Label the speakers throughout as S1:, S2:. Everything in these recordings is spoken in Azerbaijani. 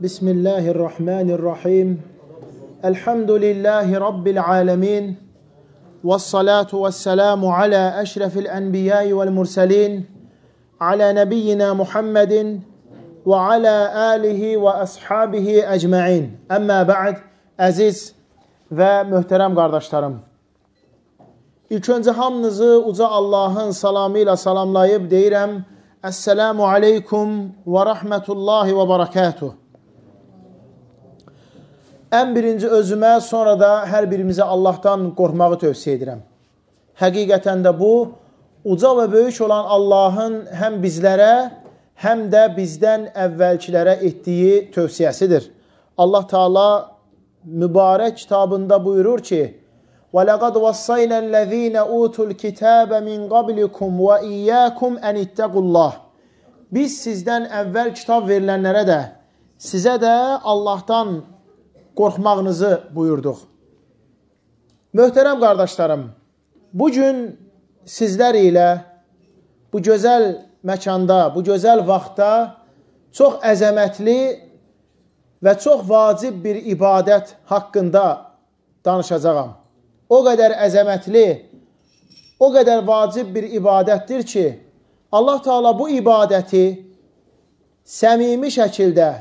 S1: Bismillahirrahmanirrahim. Elhamdülillahi Rabbil alemin. Vessalatu vesselamu ala eşrefil enbiyai vel murselin. Ala nebiyyina Muhammedin ve ala alihi ve ashabihi ecma'in. Əmmə ba'd, əziz və möhtərəm qardaşlarım. İlk öncə hamınızı uca Allahın salamı ilə salamlayıb deyirəm. Esselamu aleykum və rahmetullahi və barakatuh. Ən birinci özümə, sonra da hər birimizə Allahdan qorxmağı tövsiyə edirəm. Həqiqətən də bu, uca və böyük olan Allahın həm bizlərə, həm də bizdən əvvəlkilərə etdiyi tövsiyəsidir. Allah Teala mübarək kitabında buyurur ki, وَلَقَدْ وَصَّيْنَا الَّذ۪ينَ اُوتُوا الْكِتَابَ مِنْ قَبْلِكُمْ وَاِيَّاكُمْ اَنِ اتَّقُوا اللّٰهِ. Biz sizdən əvvəl kitab verilənlərə də, sizə də Allahdan qorxmağınızı buyurduq. Möhtərəm qardaşlarım, bugün sizlər ilə bu gözəl məkanda, bu gözəl vaxtda çox əzəmətli və çox vacib bir ibadət haqqında danışacağam. O qədər əzəmətli, o qədər vacib bir ibadətdir ki, Allah Teala bu ibadəti səmimi şəkildə,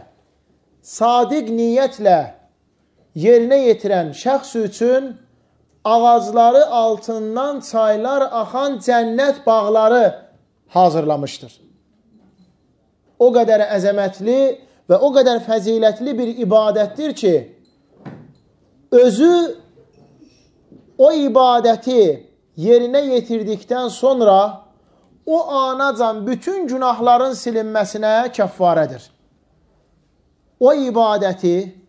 S1: sadiq niyyətlə yerinə yetirən şəxs üçün ağacları altından çaylar axan cənnət bağları hazırlamışdır. O qədər əzəmətli və o qədər fəzilətli bir ibadətdir ki, özü o ibadəti yerinə yetirdikdən sonra o anacan bütün günahların silinməsinə kəffarədir. O ibadəti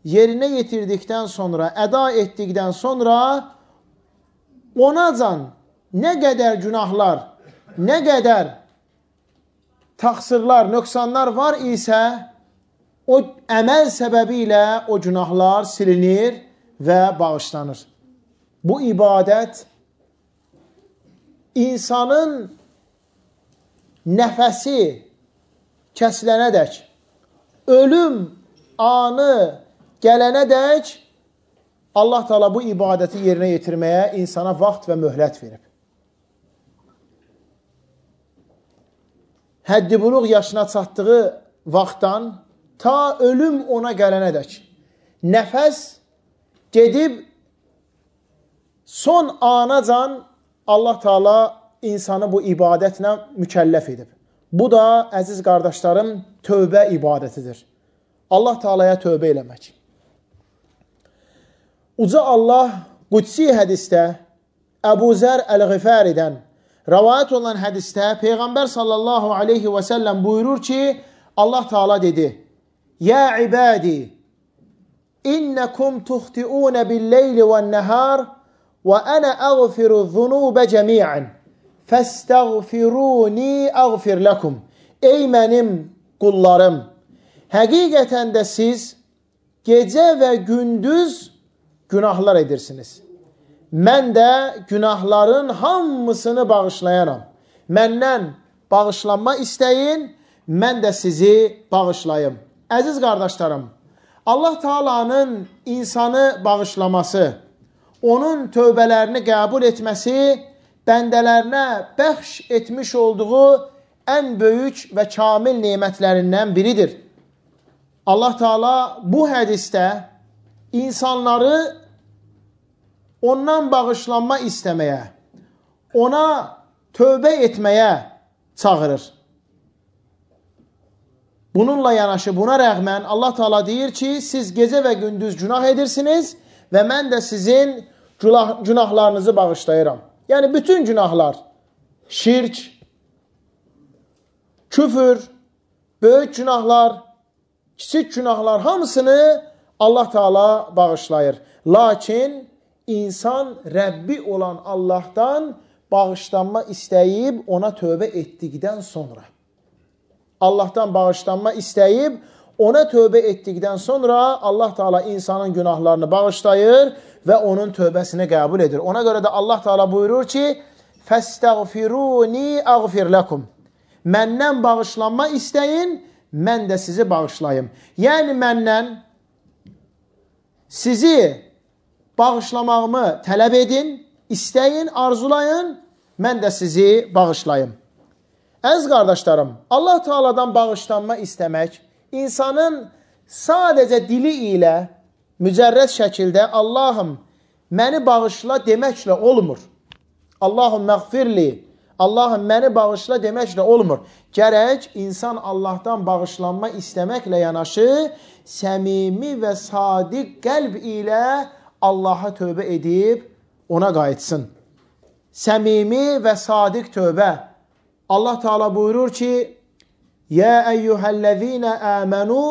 S1: yerinə yetirdikdən sonra, əda etdikdən sonra onacan nə qədər günahlar, nə qədər təqsirlər, nöqsanlar var isə o əməl səbəbi ilə o günahlar silinir və bağışlanır. Bu ibadət insanın nəfəsi kəsilənədək, ölüm anı gələnədək Allah Teala bu ibadəti yerinə yetirməyə insana vaxt və möhlət verib. Həddi buluq yaşına çatdığı vaxtdan ta ölüm ona gələnədək nəfəs gedib son anacan Allah Teala insanı bu ibadətlə mükəlləf edib. Bu da, əziz qardaşlarım, tövbə ibadətidir. Allah Teala'ya tövbə eləmək. Uca Allah qudsi hədisdə Əbu Zər Əl-Ğifəridən rəvayət olan hədisdə Peyğəmbər sallallahu aleyhi və səlləm buyurur ki, Allah Teala dedi, Yə ibadi, innəkum tuxti'unə bil-leyli vən-nəhar və ənə əğfiru zunubə cəmiən, fəstəğfiruni əğfir ləkum. Ey mənim qullarım, həqiqətən də siz gecə və gündüz günahlar edirsiniz. Mən də günahların hamısını bağışlayaram. Məndən bağışlanma istəyin, mən də sizi bağışlayım. Əziz qardaşlarım, Allah Teala'nın insanı bağışlaması, onun tövbələrini qəbul etməsi, bəndələrinə bəxş etmiş olduğu ən böyük və kamil nemətlərindən biridir. Allah Teala bu hədisdə insanları ondan bağışlanma istəməyə, ona tövbə etməyə çağırır. Bununla yanaşı, buna rəğmən Allah Teala deyir ki, siz gecə və gündüz günah edirsiniz və mən də sizin günahlarınızı bağışlayıram. Yəni, bütün günahlar, şirk, küfür, böyük günahlar, kiçik günahlar hamısını Allah Teala bağışlayır. Lakin insan Rəbbi olan Allahdan bağışlanma istəyib ona tövbə etdikdən sonra, Allahdan bağışlanma istəyib ona tövbə etdikdən sonra Allah Teala insanın günahlarını bağışlayır və onun tövbəsini qəbul edir. Ona görə də Allah Teala buyurur ki, فَاسْتَغْفِرُونِي أَغْفِرْ لَكُمْ. Məndən bağışlanma istəyin, mən də sizi bağışlayım. Yəni məndən sizi bağışlamağımı tələb edin, istəyin, arzulayın, mən də sizi bağışlayım. Əziz qardaşlarım, Allah Teala'dan bağışlanma istəmək, insanın sadəcə dili ilə mücərrəd şəkildə Allahım, məni bağışla deməklə olmur. Allahım məğfirli, Allahım məni bağışla deməklə olmur. Gərək insan Allahdan bağışlanma istəməklə yanaşı, səmimi və sadiq qəlb ilə Allaha tövbə edib ona qayıtsın. Səmimi və sadiq tövbə. Allah Teala buyurur ki, Yə əyyuhəl-ləzīnə əmənu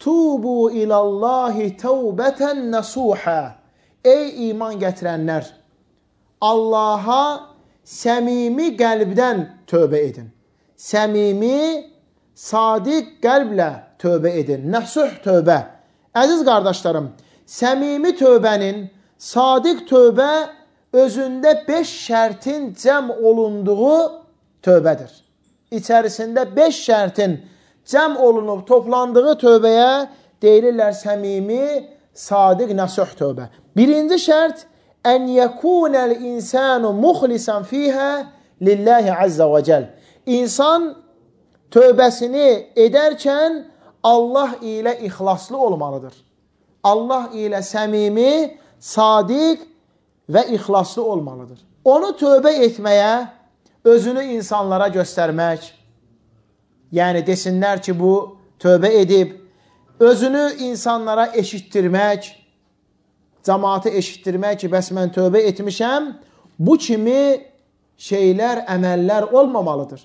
S1: tubu ilallahi təvbətən nəsuhə. Ey iman gətirənlər, Allaha səmimi qəlbdən tövbə edin. Səmimi, sadiq qəlblə tövbə edin. Nəsuh tövbə. Əziz qardaşlarım, səmimi tövbənin, sadiq tövbə özündə 5 şərtin cəm olunduğu tövbədir. İçərisində 5 şərtin cəm olunub toplandığı tövbəyə deyilirlər səmimi, sadiq, nəsuh tövbə. Birinci şərt, ən yəkunəl insanu muxlisan fiyhə lillahi azza və cəl. İnsan tövbəsini edərkən Allah ilə ixlaslı olmalıdır. Allah ilə səmimi, sadiq və ixlaslı olmalıdır. Onu tövbə etməyə, özünü insanlara göstərmək, yəni desinlər ki, bu tövbə edib, özünü insanlara eşitdirmək, cəmaatı eşitdirmək ki, bəs mən tövbə etmişəm, bu kimi şeylər, əməllər olmamalıdır.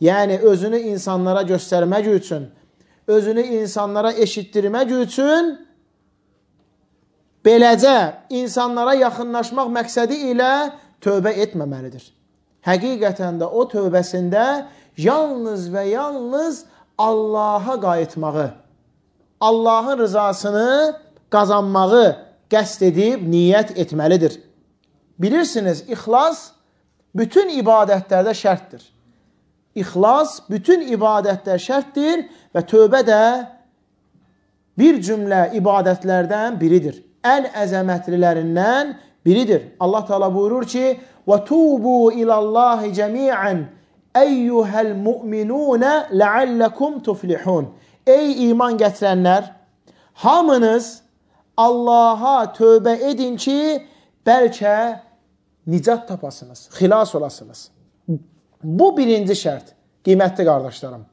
S1: Yəni, özünü insanlara göstərmək üçün, özünü insanlara eşitdirmək üçün, beləcə insanlara yaxınlaşmaq məqsədi ilə tövbə etməməlidir. Həqiqətən də o tövbəsində yalnız və yalnız Allaha qayıtmağı, Allahın rızasını qazanmağı qəsd edib, niyyət etməlidir. Bilirsiniz, ixlas bütün ibadətlərdə şərtdir. İxlas bütün ibadətlər şərtdir və tövbə də bir cümlə ibadətlərdən biridir. Ən əzəmətlilərindən biridir. Allah Teala buyurur ki, وَتُوبُوا إِلَى اللّٰهِ جَمِيعًا اَيُّهَا الْمُؤْمِنُونَ لَعَلَّكُمْ تُفْلِحُونَ. Ey iman gətirənlər, hamınız Allaha tövbə edin ki, bəlkə nicat tapasınız, xilas olasınız. Bu birinci şərt, qiymətli qardaşlarım.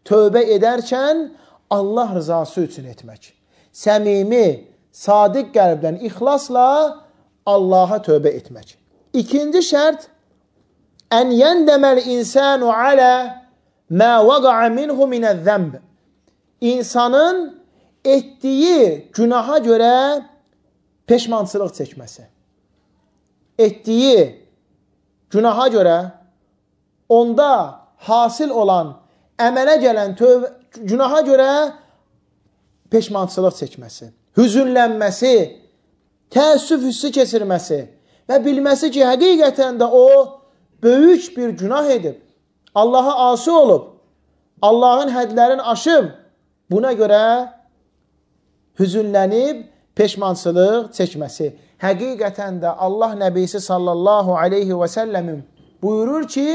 S1: Tövbə edərkən Allah rızası üçün etmək. Səmimi, sadiq qəlbdən, ixlasla Allaha tövbə etmək. İkinci şərt, ən yəndəməl insanu alə mə vəqa'a minhu minəz-zəmb. İnsanın etdiyi günaha görə peşmançılıq çəkməsi. Etdiyi günaha görə onda hasil olan, əmələ gələn günaha görə peşmançılıq çəkməsi, hüzünlənməsi, təəssüf hissi keçirməsi və bilməsi ki, həqiqətən də o böyük bir günah edib, Allaha asi olub, Allahın hədlərini aşıb, buna görə hüzünlənib, peşmançılıq çəkməsi. Həqiqətən də Allah Nəbisi sallallahu aleyhi və səlləmin buyurur ki,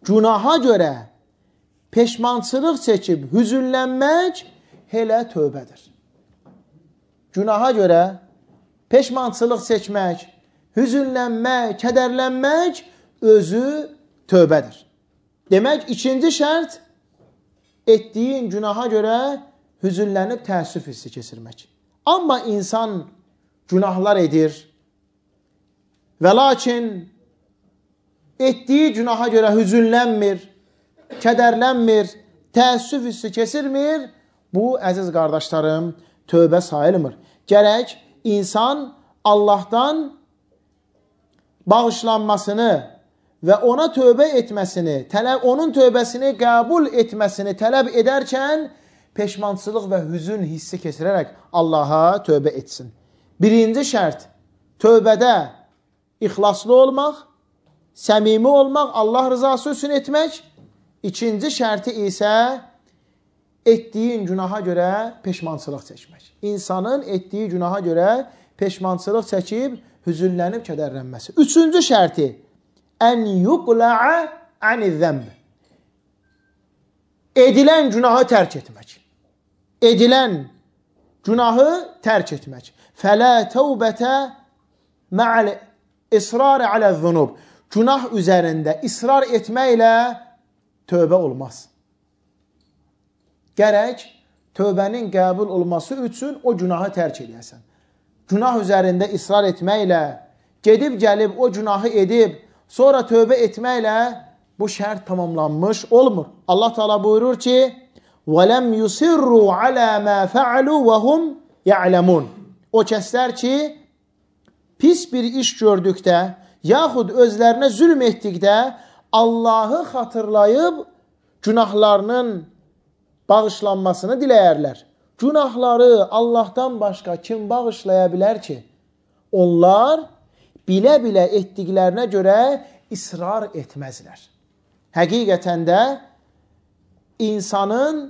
S1: günaha görə peşmançılıq çəkib, hüzünlənmək elə tövbədir. Günaha görə peşmançılıq çəkmək, hüzünlənmək, kədərlənmək özü tövbədir. Demək, ikinci şərt, etdiyin günaha görə hüzünlənib təəssüf hissi keçirmək. Amma insan günahlar edir və lakin etdiyi günaha görə hüzünlənmir, kədərlənmir, təəssüf hissi keçirmir, bu, əziz qardaşlarım, tövbə sayılmır. Gərək insan Allahdan bağışlanmasını və ona tövbə etməsini, onun tövbəsini qəbul etməsini tələb edərkən peşmançılıq və hüzün hissi keçirərək Allaha tövbə etsin. Birinci şərt, tövbədə ixlaslı olmaq, səmimi olmaq, Allah rızası üçün etmək. İkinci şərti isə etdiyin günaha görə peşmançılıq çəkmək. İnsanın etdiyi günaha görə peşmançılıq çəkib, hüzünlənib, kədərlənməsi. Üçüncü şərti, ən yuqla'a aniz-zəmb. Edilən günahı tərk etmək. Edilən günahı tərk etmək. Fələ təvbətə mə'al israr aləz-zunub. Günah üzərində israr etməklə tövbə olmaz. Gərək tövbənin qəbul olması üçün o günahı tərk edəsən. Günah üzərində israr etməklə, gedib gəlib o günahı edib, sonra tövbə etməklə bu şərt tamamlanmış olmur. Allah Teala buyurur ki, وَلَمْ يُسِرُّوا عَلَى مَا فَعَلُوا وَهُمْ يَعْلَمُونَ. O kəslər ki, pis bir iş gördükdə, yaxud özlərinə zülm etdikdə Allahı xatırlayıb günahlarının bağışlanmasını diləyərlər. Günahları Allahdan başqa kim bağışlaya bilər ki? Onlar bilə-bilə etdiklərinə görə israr etməzlər. Həqiqətən də insanın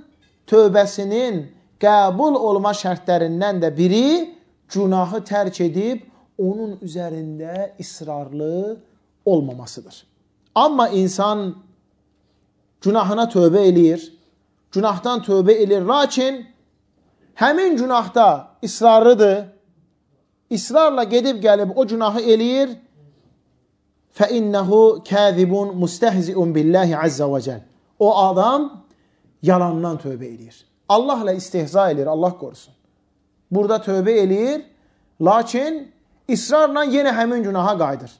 S1: tövbəsinin qəbul olma şərtlərindən də biri günahı tərk edib onun üzərində israrlı olmamasıdır. Amma insan günahına tövbə eləyir, günahdan tövbə edir, lakin həmin günahda israrlıdır, israrla gedib gəlib o günahı eləyir, فَاِنَّهُ كَاذِبٌ مُسْتَهْزِئٌ بِاللّٰهِ عَزَّ وَجَلْ. O adam yalandan tövbə eləyir. Allahla istihza eləyir, Allah qorusun. Burada tövbə eləyir, lakin israrla yenə həmin günaha qayıdır.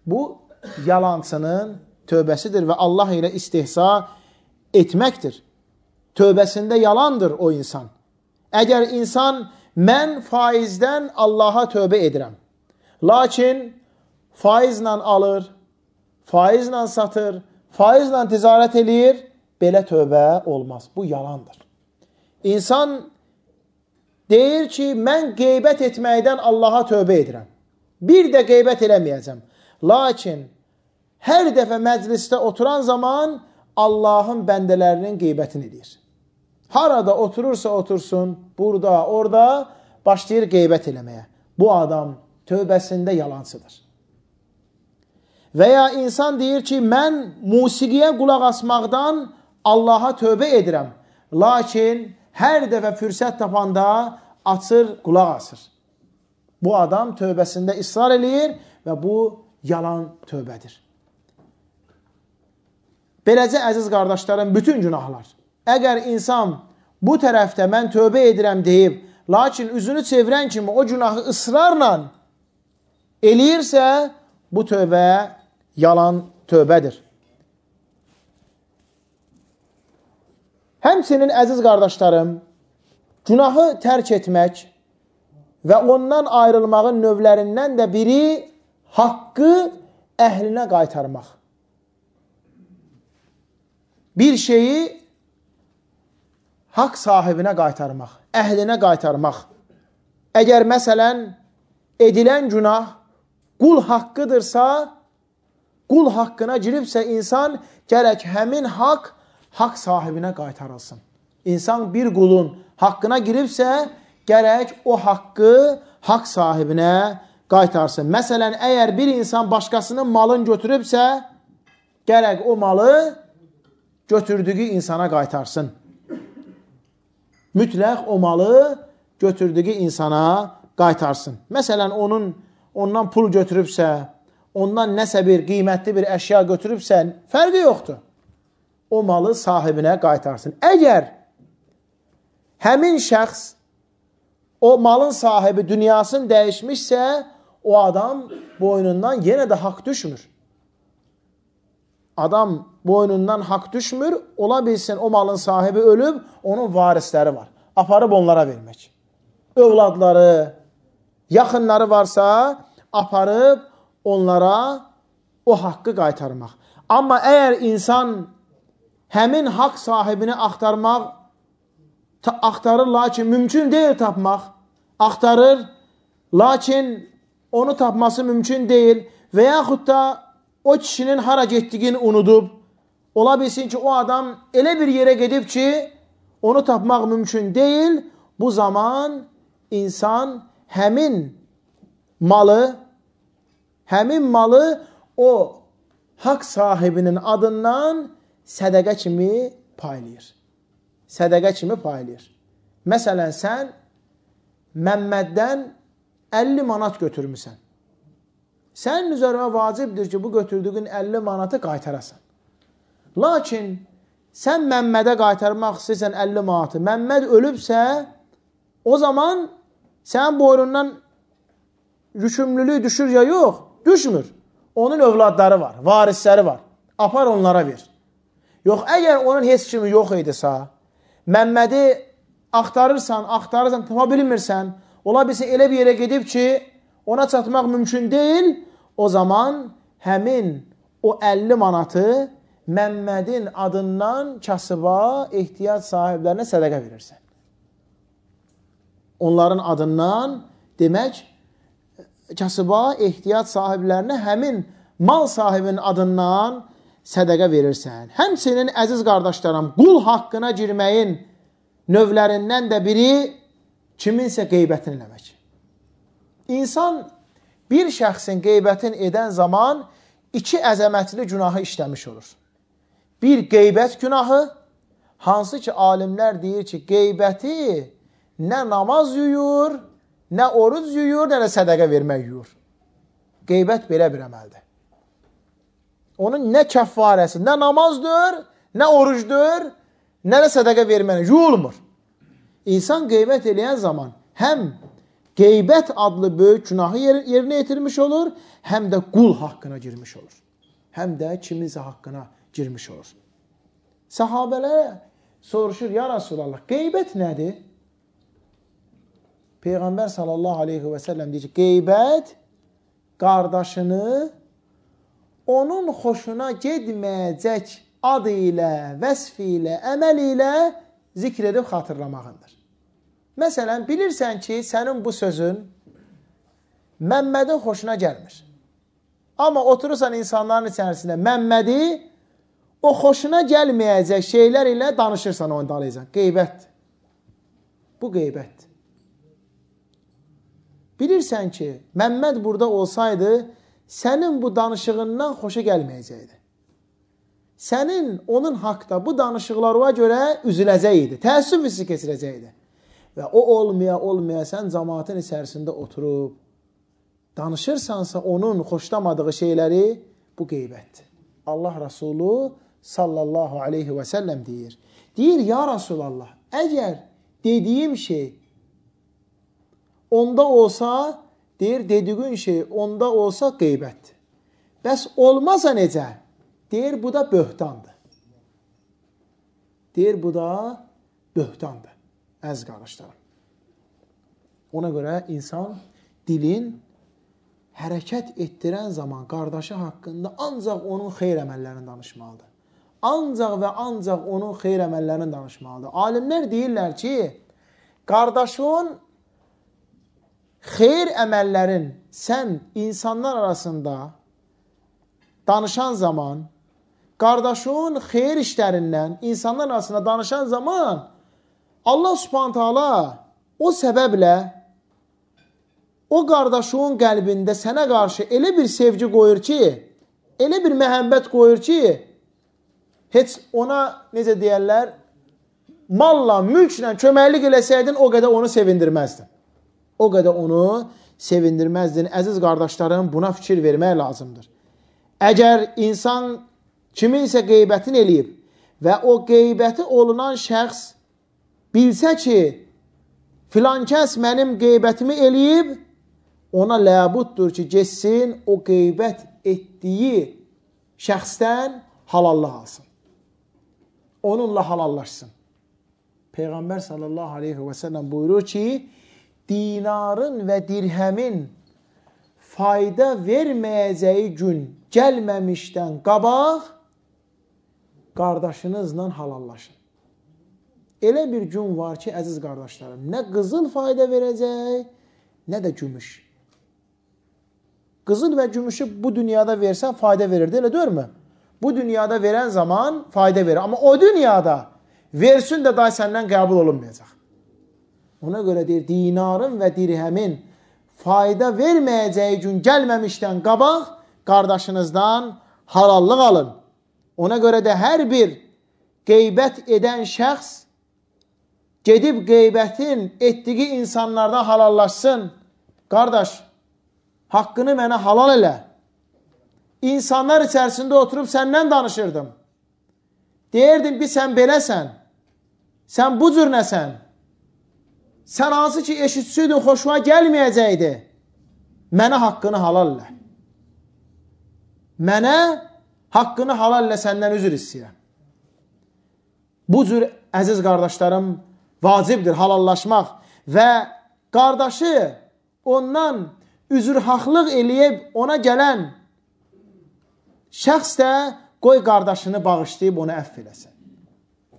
S1: Bu yalancının tövbəsidir və Allah ilə istihza etməkdir. Tövbəsində yalandır o insan. Əgər insan, mən faizdən Allaha tövbə edirəm, lakin faizlə alır, faizlə satır, faizlə ticarət eləyir, belə tövbə olmaz. Bu yalandır. İnsan deyir ki, mən qeybət etməkdən Allaha tövbə edirəm. Bir də qeybət eləməyəcəm. Lakin hər dəfə məclisdə oturan zaman Allahın bəndələrinin qeybətini edir. Harada oturursa otursun, burada, orada başlayır qeybət eləməyə. Bu adam tövbəsində yalancıdır. Və ya insan deyir ki, mən musiqiyə qulaq asmaqdan Allaha tövbə edirəm. Lakin hər dəfə fürsət tapanda açır, qulaq asır. Bu adam tövbəsində israr eləyir və bu yalan tövbədir. Beləcə, əziz qardaşlarım, bütün günahlar. Əgər insan bu tərəfdə mən tövbə edirəm deyib, lakin üzünü çevirən kimi o günahı ısrarla eləyirsə, bu tövbə yalan tövbədir. Həmçinin, əziz qardaşlarım, günahı tərk etmək və ondan ayrılmağın növlərindən də biri haqqı əhlinə qaytarmaq. Bir şeyi haqq sahibinə qaytarmaq, əhlinə qaytarmaq. Əgər məsələn edilən günah qul haqqıdırsa, qul haqqına giribsə insan gərək həmin haqq sahibinə qaytarılsın. İnsan bir qulun haqqına giribsə, gərək o haqqı haqq sahibinə qaytarsın. Məsələn, əgər bir insan başqasının malını götürübsə, gərək o malı götürdüyü insana qaytarsın. Mütləq o malı götürdüyü insana qaytarsın. Məsələn, ondan pul götürübsə, ondan nəsə bir qiymətli bir əşya götürübsə, fərqi yoxdur. O malı sahibinə qaytarsın. Əgər həmin şəxs, o malın sahibi dünyasını dəyişmişsə, o adam boynundan yenə də haqq düşmür. Adam boynundan haqq düşmür, ola bilsin o malın sahibi ölüb, onun varisləri var. Aparıb onlara vermək. Övladları, yaxınları varsa, aparıb onlara o haqqı qaytarmaq. Amma əgər insan həmin haqq sahibini axtarır, lakin mümkün deyil tapmaq, axtarır, lakin onu tapması mümkün deyil və yaxud da o kişinin hara getdiyini unudub, ola bilsin ki, o adam elə bir yerə gedib ki, onu tapmaq mümkün deyil. Bu zaman insan həmin malı o haqq sahibinin adından sədəqə kimi paylayır. Sədəqə kimi paylayır. Məsələn, sən Məmməddən 50 manat götürmüsən. Sənin üzərə vacibdir ki, bu götürdüyün 50 manatı qaytarasan. Lakin sən Məmmədə qaytarmaq istəyirsən 50 manatı. Məmməd ölübsə, o zaman sənin boynundan yükümlülük düşür ya yox? Düşmür. Onun övladları var, varisləri var. Apar onlara ver. Yox, əgər onun heç kimi yox idisə, Məmmədi axtarırsan, tapa bilmirsən, ola bilsin elə bir yerə gedib ki, ona çatmaq mümkün deyil, o zaman həmin o 50 manatı Məmmədin adından kasıba, ehtiyac sahiblərinə sədəqə verirsən. Onların adından demək, kasıba, ehtiyac sahiblərinə həmin mal sahibinin adından sədəqə verirsən. Həmçinin, əziz qardaşlarım, qul haqqına girməyin növlərindən də biri kiminsə qeybətini eləmək. İnsan bir şəxsin qeybətini edən zaman iki əzəmətli günahı işləmiş olur. Bir qeybət günahı, hansı ki alimlər deyir ki, qeybəti nə namaz yuyur, nə oruc yuyur, nə də sədəqə vermək yuyur. Qeybət belə bir əməldir. Onun nə kəffarəsi, nə namazdır, nə orucdur, nə də sədəqə vermək yuyulmur. İnsan qeybət eləyən zaman həm qeybət adlı böyük günahı yerinə yetirmiş olur, həm də qul haqqına girmiş olur. Həm də kiminsə haqqına girmiş olur. Səhabələr soruşur, ya Rasulallah, qeybət nədir? Peyğəmbər sallallahu aleyhi və səlləm deyir ki, qeybət qardaşını onun xoşuna getməyəcək adı ilə, vəsf ilə, əməl ilə zikr edib xatırlamağındır. Məsələn, bilirsən ki, sənin bu sözün Məmmədin xoşuna gəlmir. Amma oturursan insanların içərisində Məmmədi o xoşuna gəlməyəcək şeylər ilə danışırsan, onu dalayacaq. Qeybətdir. Bu qeybətdir. Bilirsən ki, Məmməd burada olsaydı, sənin bu danışığından xoşa gəlməyəcəkdir. Sənin onun haqda bu danışıqlarına görə üzüləcəkdir, təəssüf hissi keçirəcəkdir. Və o olmaya sən cəmaatın içərisində oturub, danışırsansa onun xoşlamadığı şeyləri, bu qeybətdir. Allah Rasulü sallallahu aleyhi və səlləm deyir. Deyir, ya Rasulallah, əgər dediyim şey onda olsa, deyir, dediğin şey onda olsa qeybətdir. Bəs olmasa necə? Deyir, bu da böhtandır. Deyir, bu da böhtandır. Əziz qardaşlarım. Ona görə insan dilin hərəkət etdirən zaman qardaşı haqqında ancaq onun xeyr əməllərini danışmalıdır. Ancaq və ancaq onun xeyr əməllərini danışmalıdır. Alimlər deyirlər ki, qardaşın xeyr əməllərin sən insanlar arasında danışan zaman, qardaşın xeyr işlərindən insanlar arasında danışan zaman Allah Subhanahu taala o səbəblə o qardaşın qəlbində sənə qarşı elə bir sevgi qoyur ki, elə bir məhəbbət qoyur ki, heç ona, necə deyərlər, malla, mülklə köməklik eləsəydin, o qədər onu sevindirməzdin. O qədər onu sevindirməzdin. Əziz qardaşlarım, buna fikir vermək lazımdır. Əgər insan kiminsə qeybətini eləyib və o qeybəti olunan şəxs bilsə ki, filan kəs mənim qeybətimi eləyib, ona ləbuddur ki, geçsin o qeybət etdiyi şəxsdən halallıq alsın. Onunla halallaşsın. Peyğəmbər sallallahu aleyhi və səlləm buyurur ki, dinarın və dirhəmin fayda verməyəcəyi gün gəlməmişdən qabaq qardaşınızla halallaşın. Elə bir gün var ki, əziz qardaşlarım, nə qızıl fayda verəcək, nə də gümüş. Qızıl və gümüşü bu dünyada versən fayda verirdi, elə deyilmi? Bu dünyada verən zaman fayda verir. Amma o dünyada versin də day səndən qəbul olunmayacaq. Ona görə deyir, dinarın və dirhəmin fayda verməyəcəyi gün gəlməmişdən qabaq qardaşınızdan halallıq alın. Ona görə də hər bir qeybət edən şəxs gedib qeybətin etdiyi insanlardan halallaşsın. Qardaş, haqqını mənə halal elə. İnsanlar içərisində oturub səndən danışırdım. Deyirdim ki, sən beləsən. Sən bu cür nəsən? Sən hansı ki eşitsəydin, xoşuma gəlməyəcəkdi. Mənə haqqını halal elə. Mənə haqqını halal elə, səndən üzr istəyirəm. Bu cür, əziz qardaşlarım, vacibdir halallaşmaq və qardaşı ondan üzrhaqlıq eləyib ona gələn şəxs də qoy qardaşını bağışlayıb onu əff eləsin.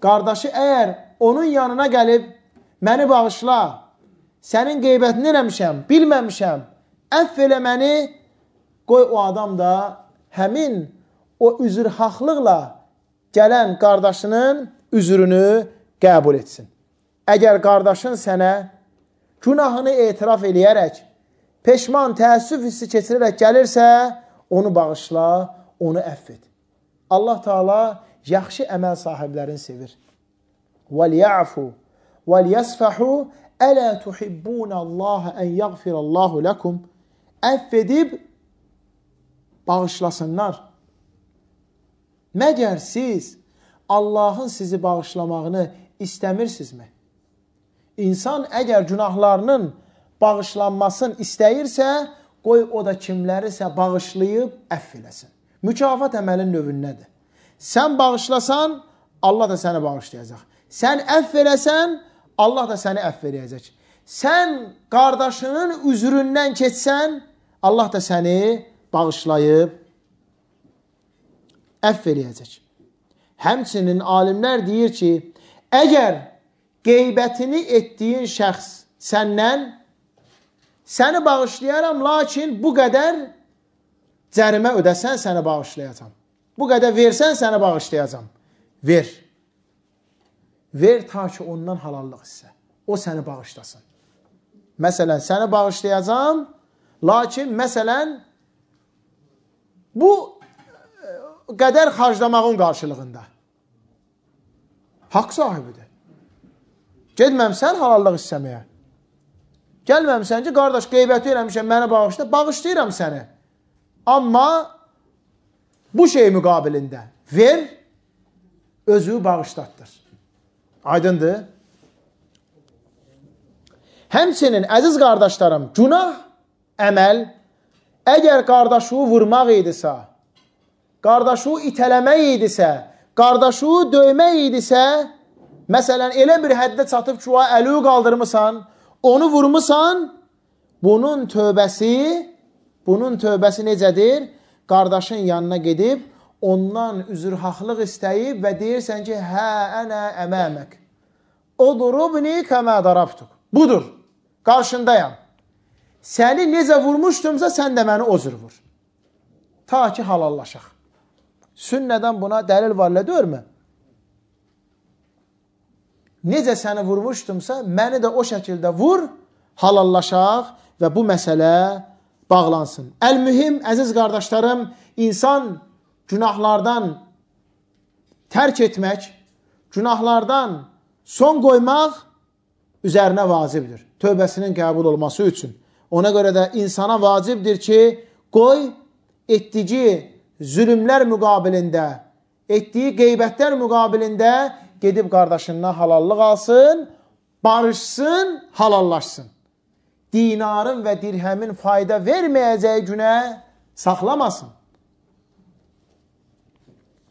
S1: Qardaşı əgər onun yanına gəlib məni bağışla, sənin qeybətini eləmişəm, bilməmişəm, əff elə məni, qoy o adam da həmin o üzrhaqlıqla gələn qardaşının üzrünü qəbul etsin. Əgər qardaşın sənə günahını etiraf eləyərək, peşman, təəssüf hissi keçirərək gəlirsə, onu bağışla, onu əff et. Allah Teala yaxşı əməl sahiblərini sevir. وَلْيَعْفُوا وَلْيَسْفَحُوا أَلَا تُحِبُّونَ اللّٰهَ أَنْ يَغْفِرَ اللّٰهُ لَكُمْ Əff edib bağışlasınlar. Məgər siz Allahın sizi bağışlamağını istəmirsinizmi? İnsan əgər günahlarının bağışlanmasını istəyirsə, qoy o da kimlərisə bağışlayıb əff eləsin. Mükafat əməlin növündədir. Sən bağışlasan, Allah da səni bağışlayacaq. Sən əff eləsən, Allah da səni əff eləyəcək. Sən qardaşının üzründən keçsən, Allah da səni bağışlayıb əff eləyəcək. Həmçinin alimlər deyir ki, əgər qeybətini etdiyin şəxs səndən, səni bağışlayaram, lakin bu qədər cərimə ödəsən, səni bağışlayacam. Bu qədər versən, səni bağışlayacam. Ver. Ver ta ki ondan halallıq hissə. O səni bağışlasın. Məsələn, səni bağışlayacam, lakin məsələn, bu qədər xarclamağın qarşılığında. Haqq sahibidir. Gedməmsən halallıq istəməyə. Gəlməmsən ki, qardaş, qeybəti eləmişəm, məni bağışla, bağışlayıram səni. Amma bu şey müqabilində ver, özü bağışlatdır. Aydındır? Həmçinin, əziz qardaşlarım, günah əməl, əgər qardaşı vurmaq idisə, qardaşı itələmək idisə, qardaşı döymək idisə, məsələn, elə bir həddə çatıb ki, əli qaldırmısan, onu vurmusan, bunun tövbəsi necədir? Qardaşın yanına gedib, ondan üzrhaqlıq istəyib və deyirsən ki, hə, ənə əməmək. Udrubni kəmə darabtuk. Budur, qarşındayam. Səni necə vurmuşdumsa, sən də məni o cür vur. Ta ki, halallaşaq. Sünnədən buna dəlil var, deyirmi? Necə səni vurmuşdumsa, məni də o şəkildə vur, halallaşaq və bu məsələ bağlansın. Əl-mühim, əziz qardaşlarım, insan günahlardan tərk etmək, günahlardan son qoymaq üzərinə vacibdir. Tövbəsinin qəbul olması üçün. Ona görə də insana vacibdir ki, qoy etdiyi zülümlər müqabilində, etdiyi qeybətlər müqabilində gedib qardaşından halallıq alsın, barışsın, halallaşsın. Dinarın və dirhəmin fayda verməyəcəyi günə saxlamasın.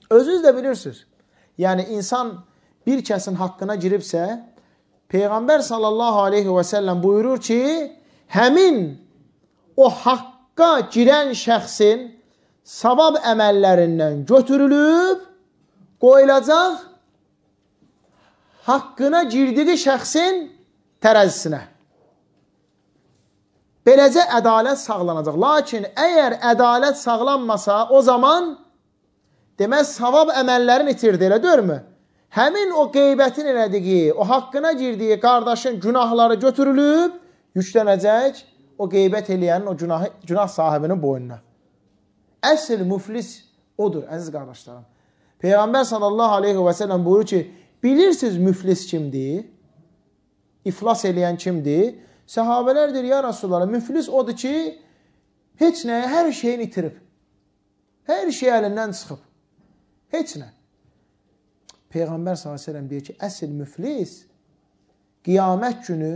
S1: Özünüz də bilirsiniz. Yəni, insan bir kəsin haqqına giribsə, Peyğəmbər sallallahu aleyhi və səlləm buyurur ki, həmin o haqqa girən şəxsin savab əməllərindən götürülüb, qoyulacaq haqqına girdiyi şəxsin tərəzisinə. Beləcə ədalət sağlanacaq. Lakin əgər ədalət sağlanmasa, o zaman demək savab əməllərin itirdi, elə deyirmi? həmin o qeybətin elədiyi, o haqqına girdiyi qardaşın günahları götürülüb, yüklənəcək o qeybət eləyənin, o günah sahibinin boynuna. Əsl müflis odur, əziz qardaşlarım. Peyğəmbər sallallahu aleyhi və səlləm buyurur ki, bilirsiniz müflis kimdir? İflas eləyən kimdir? Səhabələr deyir, ya Rasulullah, müflis odur ki, heç nəyə, hər şeyini itirib. Hər şey əlindən çıxıb. Heç nə. Peyğəmbər s.ə.v deyir ki, əsl müflis qiyamət günü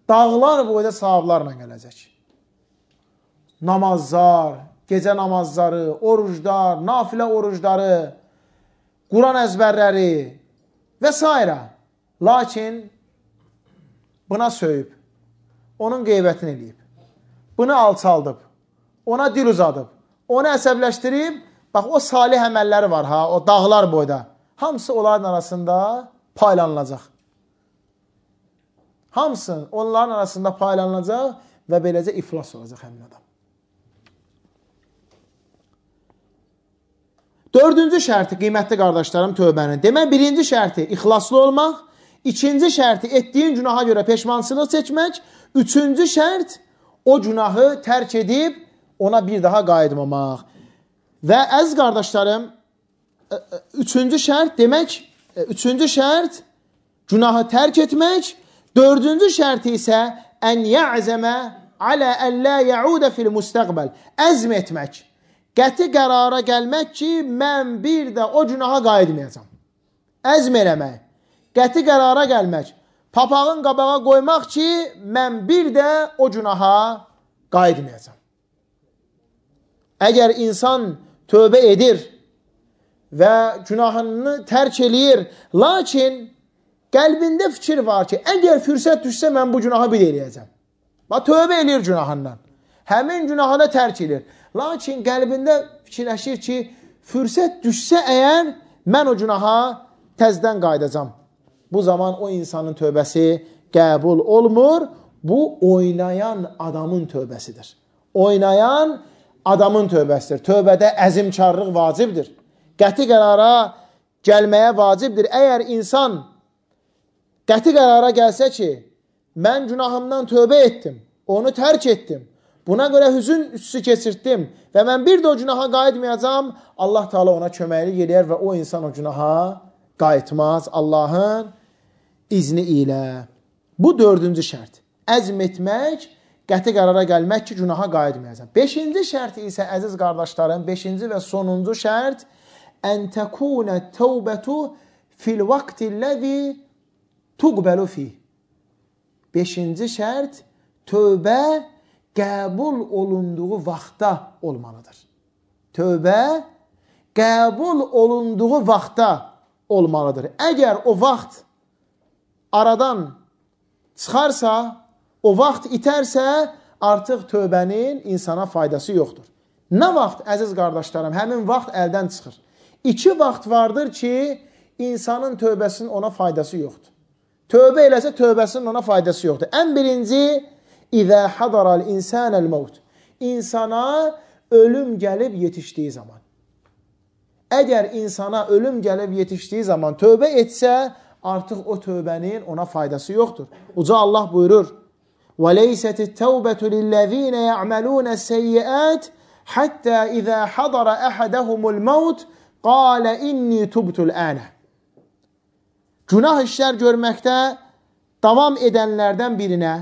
S1: dağlar boyda savablarla gələcək. Namazlar, gecə namazları, oruclar, nafilə orucları, Quran əzbərləri və s. Lakin buna söyüb, onun qeybətini eləyib, bunu alçaldıb, ona dil uzadıb, onu əsəbləşdirib, bax o salih əməlləri var ha, o dağlar boyda. Hamısı onların arasında paylanılacaq. Hamısı onların arasında paylanılacaq və beləcə iflas olacaq həmin adam. Dördüncü şərti, qiymətli qardaşlarım, tövbənin. Demək, birinci şərti ixlaslı olmaq, ikinci şərti etdiyin günaha görə peşmançılıq çəkmək, üçüncü şərt o günahı tərk edib ona bir daha qayıtmamaq. Və əziz qardaşlarım, üçüncü şərt demək, üçüncü şərt günahı tərk etmək, dördüncü şərti isə ən yə'zəmə alə əllə yəudə fil müstəqbəl, əzm etmək, qəti qərara gəlmək ki, mən bir də o günaha qayıtmayacam. Əzm eləmək, qəti qərara gəlmək, papağın qabağa qoymaq ki, mən bir də o günaha qayıtmayacam. Əgər insan tövbə edir və günahını tərk eləyir, lakin qəlbində fikir var ki, əgər fürsət düşsə, mən bu günahı bir eləyəcəm. Tövbə eləyir günahından. Həmin günahı da tərk edir. Lakin qəlbində fikirləşir ki, fürsət düşsə əgər, mən o günaha təzdən qayıdacam. Bu zaman o insanın tövbəsi qəbul olmur. Bu, oynayan adamın tövbəsidir. Oynayan adamın tövbəsidir. Tövbədə əzimkarlıq vacibdir. Qəti qərara gəlməyə vacibdir. Əgər insan qəti qərara gəlsə ki, mən günahımdan tövbə etdim, onu tərk etdim, buna görə hüzün üstü keçirtdim və mən bir də o günaha qayıtmayacam, Allah Teala ona köməklik eləyər və o insan o günaha qayıtmaz Allahın izni ilə. Bu dördüncü şərt. Əzm etmək, qəti qərara gəlmək ki, günaha qayıtmayacam. Beşinci şərt isə, əziz qardaşlarım, beşinci və sonuncu şərt, ən təkunə təvbətu fil vaxtilləzi tuqbəlu fih. Beşinci şərt, tövbə qəbul olunduğu vaxtda olmalıdır. Tövbə qəbul olunduğu vaxtda olmalıdır. Əgər o vaxt aradan çıxarsa, o vaxt itərsə, artıq tövbənin insana faydası yoxdur. Nə vaxt, əziz qardaşlarım, həmin vaxt əldən çıxır? İki vaxt vardır ki, insanın tövbəsinin ona faydası yoxdur. Tövbə eləsə, tövbəsinin ona faydası yoxdur. Ən birinci, İzə hadaral insənəl mevt. İnsana ölüm gəlib yetişdiyi zaman. Əgər insana ölüm gəlib yetişdiyi zaman tövbə etsə, artıq o tövbənin ona faydası yoxdur. Uca Allah buyurur, وَلَيْسَتِ التَّوْبَةُ لِلَّذ۪ينَ يَعْمَلُونَ السَّيِّئَاتِ حَتَّى إِذَا حَضَرَ أَحَدَهُمُ الْمَوْتِ قَالَ إِنِّي تُبْتُ الْآنَ. Günah işlər görməkdə davam edənlərdən birinə,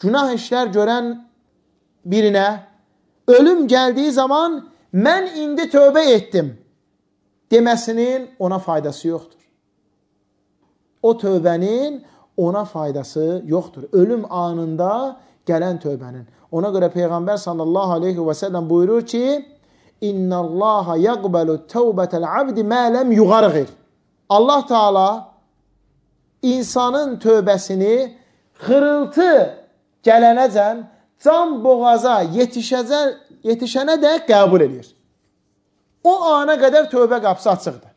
S1: günah işlər görən birinə ölüm gəldiyi zaman mən indi tövbə etdim deməsinin ona faydası yoxdur. O tövbənin ona faydası yoxdur. Ölüm anında gələn tövbənin. Ona görə Peyğəmbər sallallahu aleyhi və səlləm buyurur ki, İnna Allaha yaqbalu tövbətəl abdi mə ləm yuğarğir. Allah Teala insanın tövbəsini xırıltı gələnəcən can boğaza yetişənə də qəbul edir. O ana qədər tövbə qapısı açıqdır.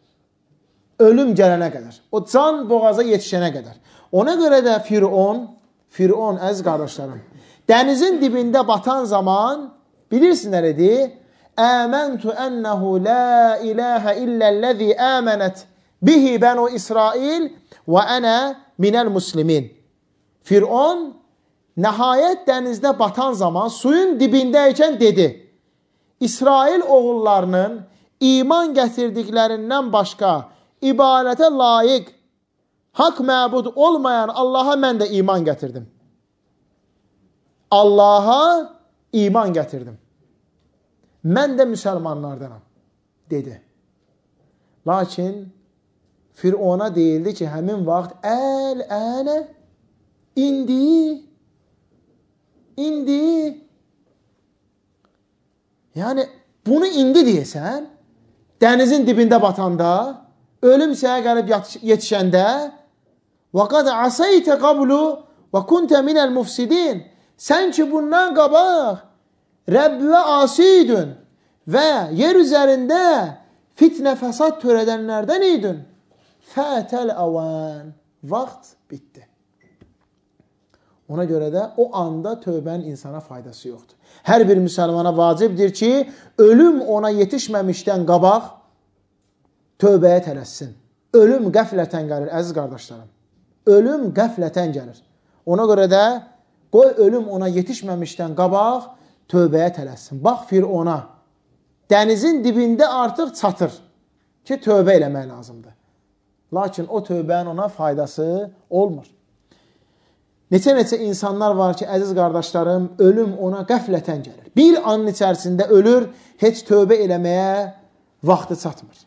S1: Ölüm gələnə qədər. O can boğaza yetişənə qədər. Ona görə də Firon, əziz qardaşlarım, dənizin dibində batan zaman bilirsiniz nə dedi? Əməntu ənəhu la iləhə illəl-ləzi əmənət bihi bənu İsrail və ənə minəl muslimin. Firon nəhayət dənizdə batan zaman suyun dibindəykən dedi, İsrail oğullarının iman gətirdiklərindən başqa ibadətə layiq, haqq məbud olmayan Allaha mən də iman gətirdim. Allaha iman gətirdim. Mən də müsəlmanlardanam, dedi. Lakin Firona deyildi ki, həmin vaxt əl-ənə, indi. Yəni, bunu indi deyəsən, dənizin dibində batanda, ölüm sənə gəlib yetişəndə, وَقَدْ عَسَيْتَ قَبْلُ وَكُنْتَ مِنَ الْمُفْسِدِينَ Sən ki, bundan qabaq Rəbbivə asiydün və yer üzərində fitnə fəsad törədənlərdən idin. Fətəl əvən. Vaxt bitdi. Ona görə də o anda tövbənin insana faydası yoxdur. Hər bir müsəlmana vacibdir ki, ölüm ona yetişməmişdən qabaq tövbəyə tələssin. Ölüm qəflətən gəlir, əziz qardaşlarım. Ölüm qəflətən gəlir. Ona görə də qoy ölüm ona yetişməmişdən qabaq tövbəyə tələssin. Bax Firona, dənizin dibində artıq çatır ki, tövbə eləmək lazımdır. Lakin o tövbənin ona faydası olmur. Neçə insanlar var ki, əziz qardaşlarım, ölüm ona qəflətən gəlir. Bir anın içərisində ölür, heç tövbə eləməyə vaxtı çatmır.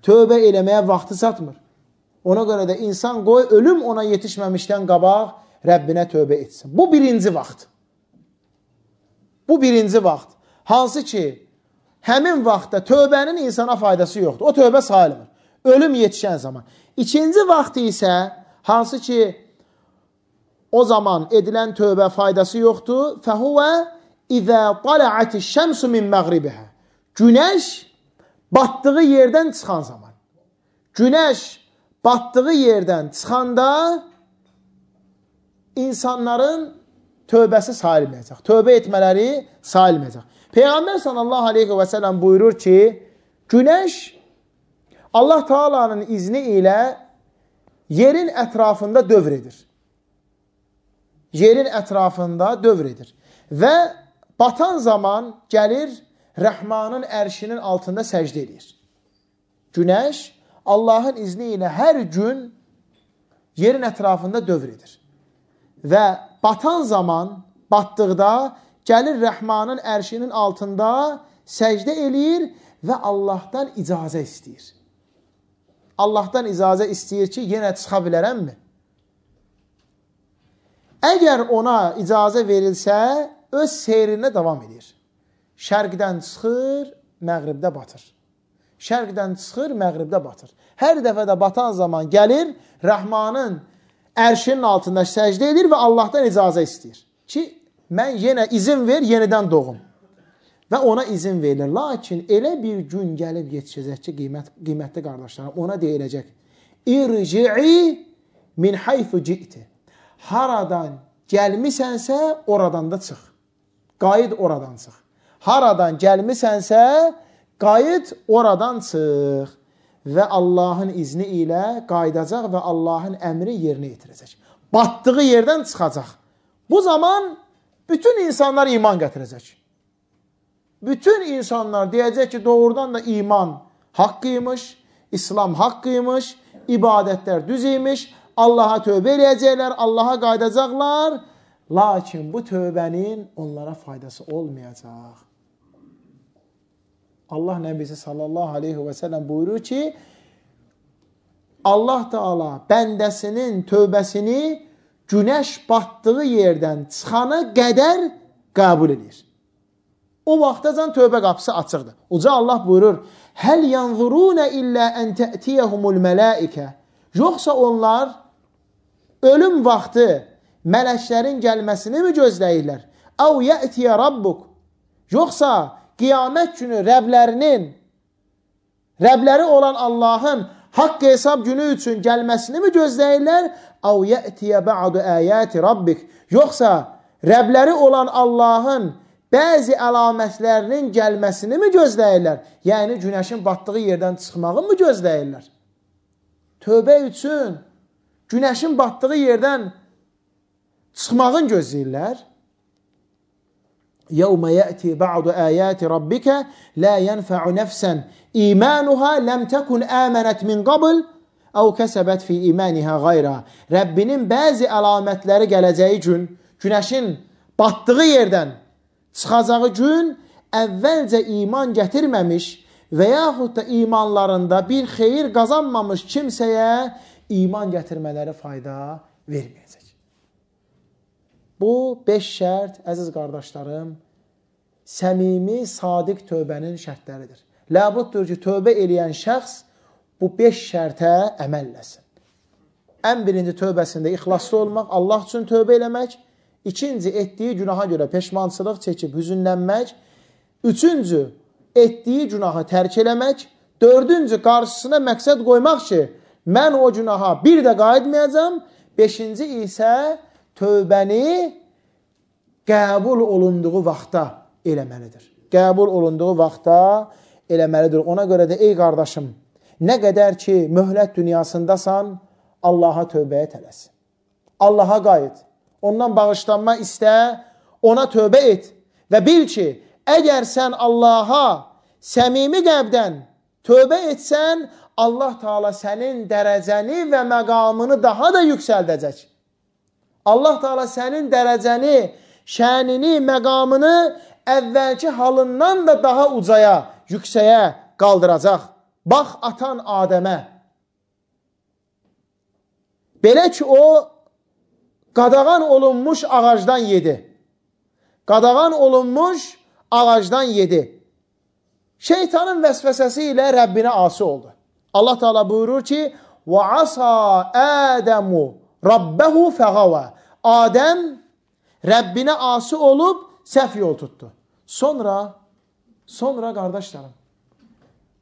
S1: Tövbə eləməyə vaxtı çatmır. Ona görə də insan qoy ölüm ona yetişməmişdən qabaq Rəbbinə tövbə etsin. Bu birinci vaxt. Bu birinci vaxt. Hansı ki, həmin vaxtda tövbənin insana faydası yoxdur. O tövbə sayılmır. Ölüm yetişən zaman. İkinci vaxt isə, hansı ki, o zaman edilən tövbə faydası yoxdur. Fəhuvə izə tala'ati şəmsu min məğribihə. Günəş batdığı yerdən çıxan zaman. Günəş batdığı yerdən çıxanda insanların tövbəsi sayılmayacaq. Tövbə etmələri sayılmayacaq. Peyğəmbər sallallahu aleyhi və səlləm buyurur ki, günəş Allah Taala'nın izni ilə yerin ətrafında dövr edir. Yerin ətrafında dövr edir. Və batan zaman gəlir Rəhmanın ərşinin altında səcdə edir. Günəş Allahın izni ilə hər gün yerin ətrafında dövr edir. Və batan zaman, batdıqda gəlir Rəhmanın ərşinin altında səcdə eləyir və Allahdan icazə istəyir. Allahdan icazə istəyir ki, yenə çıxa bilərəmmi? Əgər ona icazə verilsə, öz seyrinə davam edir. Şərqdən çıxır, məğribdə batır. Şərqdən çıxır, məğribdə batır. Hər dəfə də batan zaman gəlir, Rəhmanın ərşinin altında səcdə edir və Allahdan icazə istəyir. Ki, mən yenə izin ver, yenidən doğum. Və ona izin verilir. Lakin elə bir gün gəlib yetişəcək ki, qiymətli qardaşlarım, ona deyiləcək, İrci'i min haythu ci'ti. Haradan gəlmisənsə, oradan da çıx. Qayıt oradan çıx. Haradan gəlmisənsə, qayıt oradan çıx. Və Allahın izni ilə qayıdacaq və Allahın əmri yerinə yetirəcək. Batdığı yerdən çıxacaq. Bu zaman bütün insanlar iman gətirəcək. Bütün insanlar deyəcək ki, doğrudan da iman haqqıymış, İslam haqqıymış, ibadətlər düz imiş, Allaha tövbə eləyəcəklər, Allaha qaydacaqlar. Lakin bu tövbənin onlara faydası olmayacaq. Allah Nəbisi sallallahu aleyhi və səlləm buyurur ki, Allah Teala bəndəsinin tövbəsini günəş batdığı yerdən çıxana qədər qəbul edir. O vaxtacan tövbə qapısı açıqdır. Uca Allah buyurur, Həl yanzuruna illə ən tə'tiyəhumul mələikə. Yoxsa onlar ölüm vaxtı mələklərin gəlməsini mi gözləyirlər? Əv yə'tiyə rabbuk. Yoxsa qiyamət günü Rəbləri olan Allahın haqq hesab günü üçün gəlməsini mi gözləyirlər? Əv yə'tiyə bə'du əyəti rabbik. Yoxsa Rəbləri olan Allahın bəzi əlamətlərinin gəlməsini mi gözləyirlər? Yəni, günəşin batdığı yerdən çıxmağı mı gözləyirlər? tövbə üçün günəşin batdığı yerdən çıxmağın gözləyirlər. يَوْمَ يَأْتِي بَعْضُ آيَاتِ رَبِّكَ لَا يَنْفَعُ نَفْسًا إِيمَانُهَا لَمْ تَكُنْ آمَنَتْ مِنْ قَبْلِ أَوْ كَسَبَتْ فِي إِيمَانِهَا غَيْرًا. Rəbbinin bəzi əlamətləri gələcəyi gün, günəşin batdığı yerdən çıxacağı gün əvvəlcə iman gətirməmiş və yaxud da imanlarında bir xeyir qazanmamış kimsəyə iman gətirmələri fayda verməyəcək. Bu 5 şərt, əziz qardaşlarım, səmimi, sadiq tövbənin şərtləridir. Ləbuddur ki, tövbə eləyən şəxs bu 5 şərtə əməl eləsin. Ən birinci tövbəsində ixlaslı olmaq, Allah üçün tövbə eləmək. İkinci, etdiyi günaha görə peşmançılıq çəkib hüzünlənmək. Üçüncü, etdiyi günahı tərk eləmək. Dördüncü, qarşısına məqsəd qoymaq ki, mən o günaha bir də qayıtmayacam. Beşinci isə tövbəni qəbul olunduğu vaxtda eləməlidir. Qəbul olunduğu vaxtda eləməlidir. Ona görə də ey qardaşım, nə qədər ki möhlət dünyasındasan, Allaha tövbəyə tələsin. Allaha qayıt. Ondan bağışlanma istə, ona tövbə et və bil ki, əgər sən Allaha səmimi qəlbdən tövbə etsən, Allah Teala sənin dərəcəni və məqamını daha da yüksəldəcək. Allah Teala sənin dərəcəni, şənini, məqamını əvvəlki halından da daha ucaya, yüksəyə qaldıracaq. Bax atan Adəmə. Belə ki, o qadağan olunmuş ağacdan yedi. Qadağan olunmuş ağacdan yedi. Şeytanın vəsvəsəsi ilə Rəbbinə asi oldu. Allah Teala buyurur ki, وَعَصَى آدَمُ رَبَّهُ فَغَوَى. Adəm Rəbbinə asi olub səhv yol tutdu. Sonra qardaşlarım,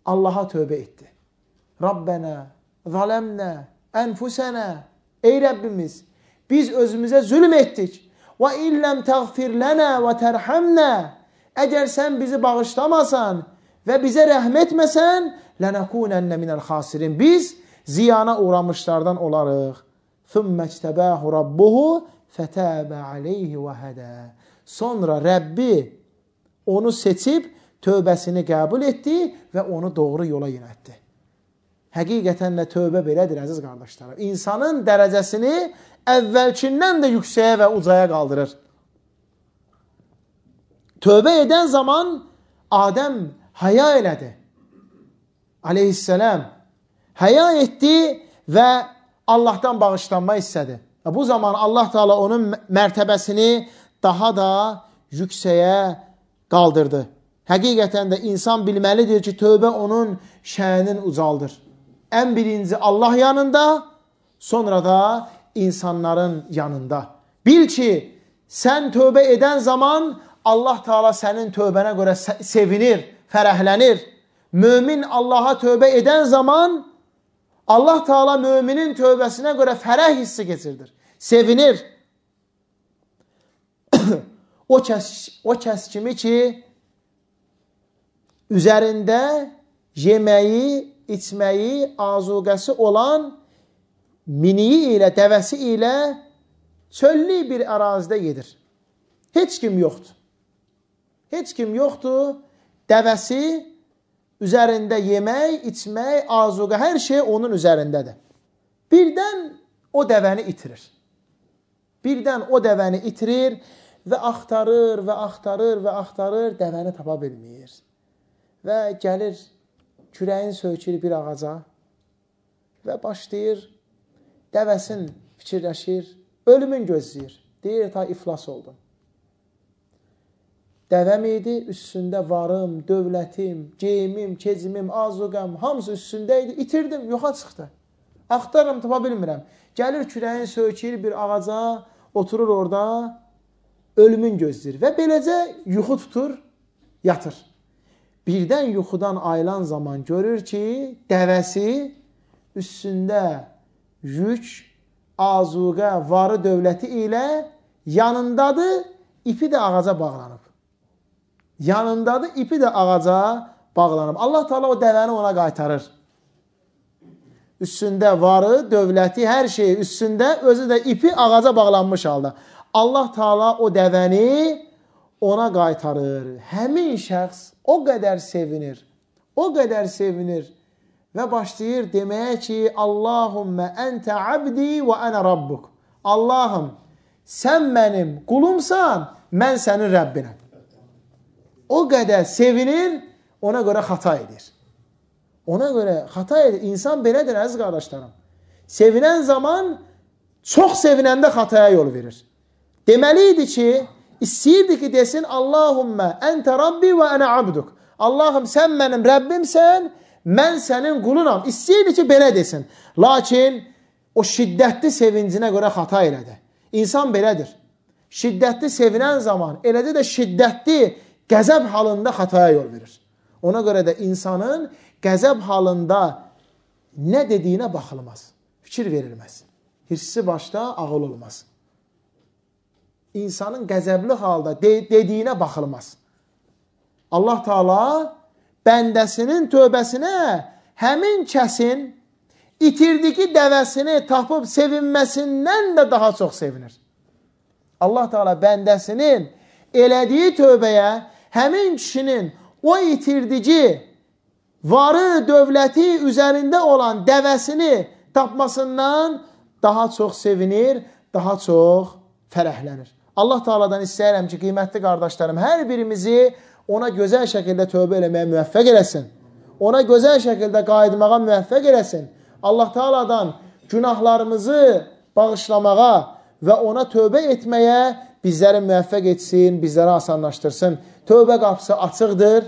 S1: Allaha tövbə etdi. Rabbənə, zaləmnə, ənfusənə. Ey Rəbbimiz, biz özümüzə zülm etdik. وَاِنْ لَمْ تَغْفِرْ لَنَا وَتَرْحَمْنَا. Əgər sən bizi bağışlamasan və bizə rəhm etməsən, لَنَكُونَنَّ مِنَ الْخَاسِرِينَ. Biz ziyana uğramışlardan olarıq. ثُمَّ اجْتَبَاهُ رَبُّهُ فَتَابَ عَلَيْهِ وَهَدَى. Sonra Rəbbi onu seçib tövbəsini qəbul etdi və onu doğru yola yönəltdi. Həqiqətən də tövbə belədir, əziz qardaşlarım. İnsanın dərəcəsini əvvəlkindən də yüksəyə və ucaya qaldırır. Tövbə edən zaman Adəm həya elədi. Aleyhisselam həya etdi və Allahdan bağışlanma istədi. Bu zaman Allah Teala onun mərtəbəsini daha da yüksəyə qaldırdı. Həqiqətən də insan bilməlidir ki, tövbə onun şəninin ucaldır. Ən birinci Allah yanında, sonra da insanların yanında. Bil ki, sən tövbə edən zaman Allah Teala sənin tövbənə görə sevinir, fərəhlənir. Mömin Allaha tövbə edən zaman Allah Teala müminin tövbəsinə görə fərəh hissi keçirdir. Sevinir. O kəs kimi ki, üzərində yeməyi, içməyi, azuqəsi olan miniyi ilə, dəvəsi ilə çöllü bir ərazidə gedir. Heç kim yoxdur. Heç kim yoxdur. Dəvəsi üzərində yemək, içmək, azuqə, hər şey onun üzərindədir. Birdən o dəvəni itirir. Birdən o dəvəni itirir və axtarır və axtarır və axtarır, dəvəni tapa bilmir. Və gəlir, kürəyin söykür bir ağaca və başlayır, dəvəsin fikirləşir, ölümün gözləyir. Deyir, ta iflas oldum. Dəvəm idi, üstündə varım, dövlətim, geyimim, kecimim, azuqəm, hamısı üstündə idi, itirdim, yoxa çıxdı. Axtarım, tapa bilmirəm. Gəlir, kürəyin söykür bir ağaca, oturur orada, ölümün gözləyir və beləcə yuxu tutur, yatır. Birdən yuxudan ayılan zaman görür ki, dəvəsi üstündə yük, azuqə, varı dövləti ilə yanındadır, ipi də ağaca bağlanıb. Yanındadır, ipi də ağaca bağlanıb. Allah Teala o dəvəni ona qaytarır. üstündə varı, dövləti, hər şeyi üstündə, özü də ipi ağaca bağlanmış halda. Allah Taala o dəvəni ona qaytarır. Həmin şəxs o qədər sevinir və başlayır deməyə ki, Allahümmə əntə abdi və ənə rabbuk. Allahım, sən mənim qulumsan, mən sənin Rəbbinəm. O qədər sevinir, ona görə xata edir. İnsan belədir, əziz qardaşlarım. Sevinən zaman, çox sevinəndə xataya yol verir. Deməli idi ki, istəyirdi ki, desin, Allahümmə əntə rabbi və ənə abduk. Allahım, sən mənim Rəbbimsən, mən sənin qulunam. İstəyirdi ki, belə desin. Lakin o şiddətli sevincinə görə xata elədi. İnsan belədir. Şiddətli sevinən zaman, eləcə də şiddətli qəzəb halında xataya yol verir. Ona görə də insanın qəzəb halında nə dediyinə baxılmaz. Fikir verilməz. Hirsi başda ağıl olmaz. İnsanın qəzəbli halda dediyinə baxılmaz. Allah Taala bəndəsinin tövbəsinə həmin kəsin itirdiyi dəvəsini tapıb sevinməsindən də daha çox sevinir. Allah Taala bəndəsinin elədiyi tövbəyə həmin kişinin o itirdiyi varı, dövləti üzərində olan dəvəsini tapmasından daha çox sevinir, daha çox fərəhlənir. Allah Taala'dan istəyirəm ki, qiymətli qardaşlarım, hər birimizi ona gözəl şəkildə tövbə eləməyə müvəffəq eləsin. Ona gözəl şəkildə qayıtmağa müvəffəq eləsin. Allah Taala'dan günahlarımızı bağışlamağa və ona tövbə etməyə bizləri müvəffəq etsin, bizləri asanlaşdırsın. Tövbə qapısı açıqdır,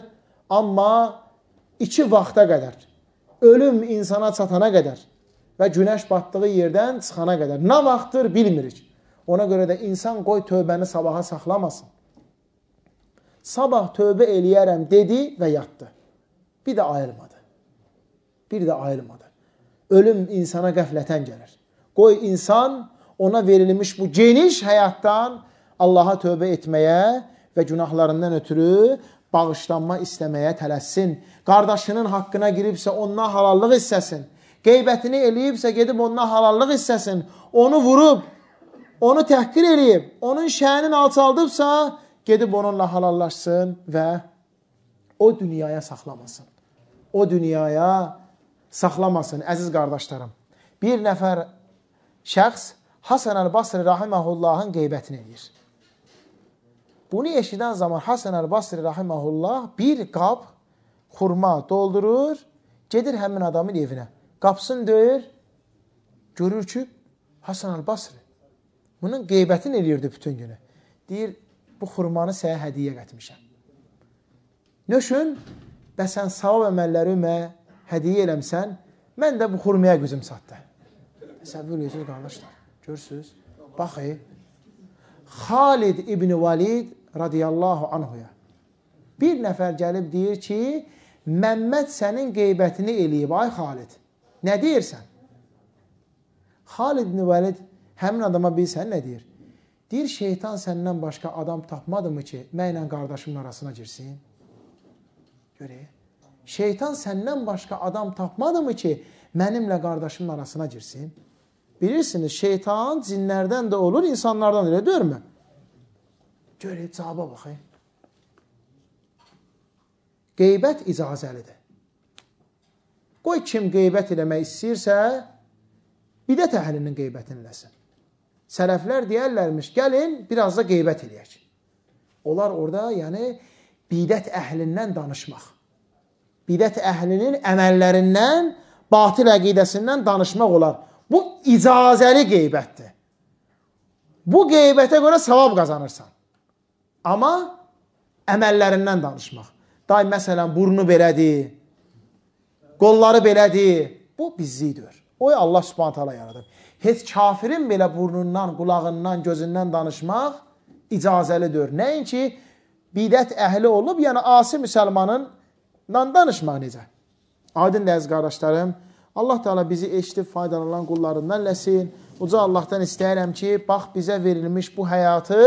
S1: amma 2 vaxta qədər, ölüm insana çatana qədər və günəş batdığı yerdən çıxana qədər. Nə vaxtdır bilmirik. Ona görə də insan qoy tövbəni sabaha saxlamasın. Sabah tövbə eləyərəm dedi və yatdı. Bir də ayılmadı. Ölüm insana qəflətən gəlir. Qoy insan ona verilmiş bu geniş həyatdan Allaha tövbə etməyə və günahlarından ötürü bağışlanma istəməyə tələssin. Qardaşının haqqına giribsə ondan halallıq istəsin. Qeybətini eləyibsə gedib ondan halallıq istəsin. Onu vurub, onu təhqir eləyib, onun şənin alçaldıbsa gedib onunla halallaşsın və o dünyaya saxlamasın. Əziz qardaşlarım, bir nəfər şəxs Hasan el-Basri rahiməhullahın qeybətini eləyir. Bunu eşidən zaman Hasan el-Basri rahimehullah bir qab xurma doldurur, gedir həmin adamın evinə. Qapısını döyür, görür ki, Hasan el-Basri bunun qeybətini eləyirdi bütün günü. Deyir, bu xurmanı sənə hədiyyə etmişəm. Nöşün, sən savab əməllərimə hədiyyə eləmsən, mən də bu xurmaya gücüm satdı. Təsəvvür edirsiniz, qardaşlar. Görürsünüz? Baxın. Xalid ibn Valid radiyallahu anhuya bir nəfər gəlib deyir ki, Məmməd sənin qeybətini eləyib, ay Xalid. Nə deyirsən? Xalid ibn Valid həmin adama bilsən nə deyir? Deyir, şeytan səndən başqa adam tapmadı mı ki, mənlə qardaşımın arasına girsin? Görək. Şeytan səndən başqa adam tapmadı mı ki, mənimlə qardaşımın arasına girsin? Bilirsiniz, şeytan cinlərdən də olur, insanlardan da, deyirmi? Görək, cavaba baxayım. Qeybət icazəlidir. Qoy kim qeybət eləmək istəyirsə, bidət əhlinin qeybətini eləsin. Sələflər deyərlərmiş, gəlin, biraz da qeybət eləyək. Onlar orada, yəni, bidət əhlindən danışmaq. Bidət əhlinin əməllərindən, batil əqidəsindən danışmaq olar. Bu icazəli qeybətdir. Bu qeybətə görə savab qazanırsan. Amma əməllərindən danışmaq. Day, məsələn, burnu belədir, qolları belədir. Bu bizlikdir. O, Allah Subhanahu taala yaradır. Heç kafirin belə burnundan, qulağından, gözündən danışmaq icazəlidir. Nəinki bidət əhli olub, yəni asi müsəlmanınla danışmaq necə? Aydın əziz qardaşlarım, Allah Teala bizi eşidib faydalanan qullarından eləsin. Uca Allahdan istəyirəm ki, bax bizə verilmiş bu həyatı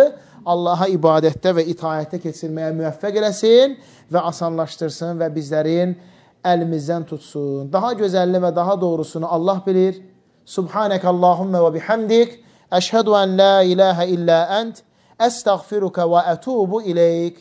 S1: Allaha ibadətdə və itaətdə keçirməyə müvəffəq eləsin və asanlaşdırsın və bizlərin əlimizdən tutsun. Daha gözəlli və daha doğrusunu Allah bilir. Subhanək Allahümmə və bihamdik. Əşhədu ən la ilahə illə ənt. Əstəğfiruka və ətubu ileyk.